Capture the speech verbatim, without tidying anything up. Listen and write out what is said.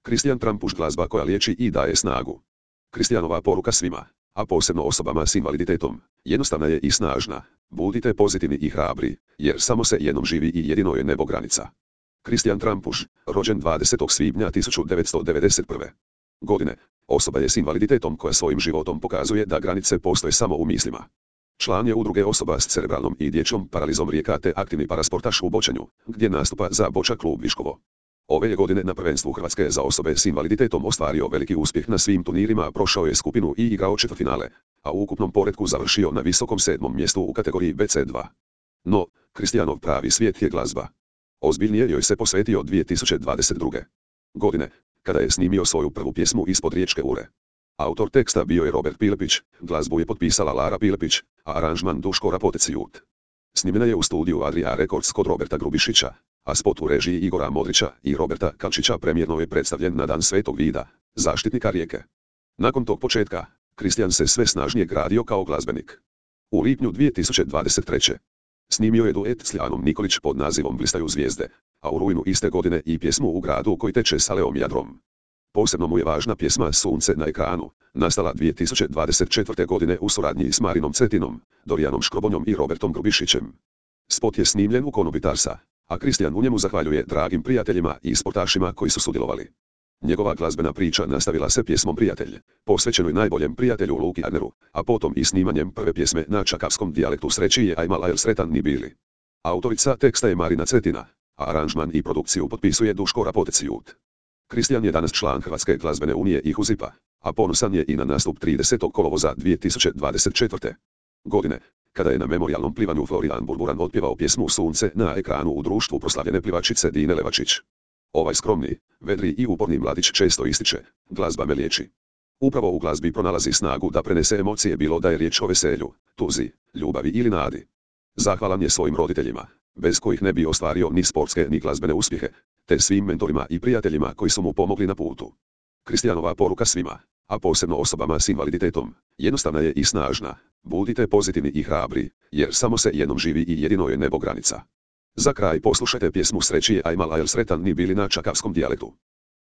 Kristijan Trampuš, glazba koja liječi i daje snagu. Kristijanova poruka svima, a posebno osobama s invaliditetom, jednostavna je i snažna. Budite pozitivni i hrabri, jer samo se jednom živi i jedino je nebo granica. Kristijan Trampuš, rođen dvadesetog svibnja tisuću devetsto devedeset prve. godine, osoba je s invaliditetom koja svojim životom pokazuje da granice postoje samo u mislima. Član je udruge osoba s cerebralnom i dječjom paralizom Rijeka te aktivni parasportaš u bočanju, gdje nastupa za Boča klub Viškovo. Ove je godine na prvenstvu Hrvatske za osobe s invaliditetom ostvario veliki uspjeh na svim turnirima, prošao je skupinu i igrao četvrtfinale, a u ukupnom poretku završio na visokom sedmom mjestu u kategoriji B C dva. No, Kristijanov pravi svijet je glazba. Ozbiljnije joj se posvetio dvije tisuće dvadeset druge. godine, kada je snimio svoju prvu pjesmu Ispod riječke ure. Autor teksta bio je Robert Pilepić, glazbu je potpisala Lara Pilepić, a aranžman Duško Rapoteciut. Snimljena je u studiju Adria Records kod Roberta Grubišića, a spot u režiji Igora Modrića i Roberta Kalčića premijerno je predstavljen na Dan Svetog Vida, zaštitnika Rijeke. Nakon tog početka, Kristijan se sve snažnije gradio kao glazbenik. U lipnju dvije tisuće dvadeset treće. snimio je duet s Ljanom Nikolić pod nazivom Blistaju zvijezde, a u rujnu iste godine i pjesmu U gradu koji teče s Aleom Jadrom. Posebno mu je važna pjesma Sunce na ekranu, nastala dvije tisuće dvadeset četvrte. godine u suradnji s Marinom Cetinom, Dorijanom Škrobonjom i Robertom Grubišićem. Spot je snimljen u Konobi Tarsa, a Kristijan u njemu zahvaljuje dragim prijateljima i sportašima koji su sudjelovali. Njegova glazbena priča nastavila se pjesmom Prijatelj, posvećenoj najboljem prijatelju Luki Adneru, a potom i snimanjem prve pjesme na čakavskom dijalektu Sreći je ajmal ajl sretan ni bili. Autorica teksta je Marina Cetina, a aranžman i produkciju potpisuje Duško Rapoteciut. Kristijan je danas član Hrvatske glazbene unije i Huzipa, a ponosan je i na nastup tridesetog kolovoza dvije tisuće dvadeset četvrte. godine, kada je na memorijalnom plivanju Florian Burburan otpjevao pjesmu Sunce na ekranu u društvu proslavljene plivačice Dine Levačić. Ovaj skromni, vedri i uporni mladić često ističe, glazba me liječi. Upravo u glazbi pronalazi snagu da prenese emocije, bilo da je riječ o veselju, tuzi, ljubavi ili nadi. Zahvalan je svojim roditeljima, bez kojih ne bi ostvario ni sportske ni glazbene uspjehe, te svim mentorima i prijateljima koji su mu pomogli na putu. Kristijanova poruka svima, a posebno osobama s invaliditetom, jednostavna je i snažna. Budite pozitivni i hrabri, jer samo se jednom živi i jedino je nebo granica. Za kraj poslušajte pjesmu Sreći je ajmal ajl sretan ni bili na čakavskom dijalektu.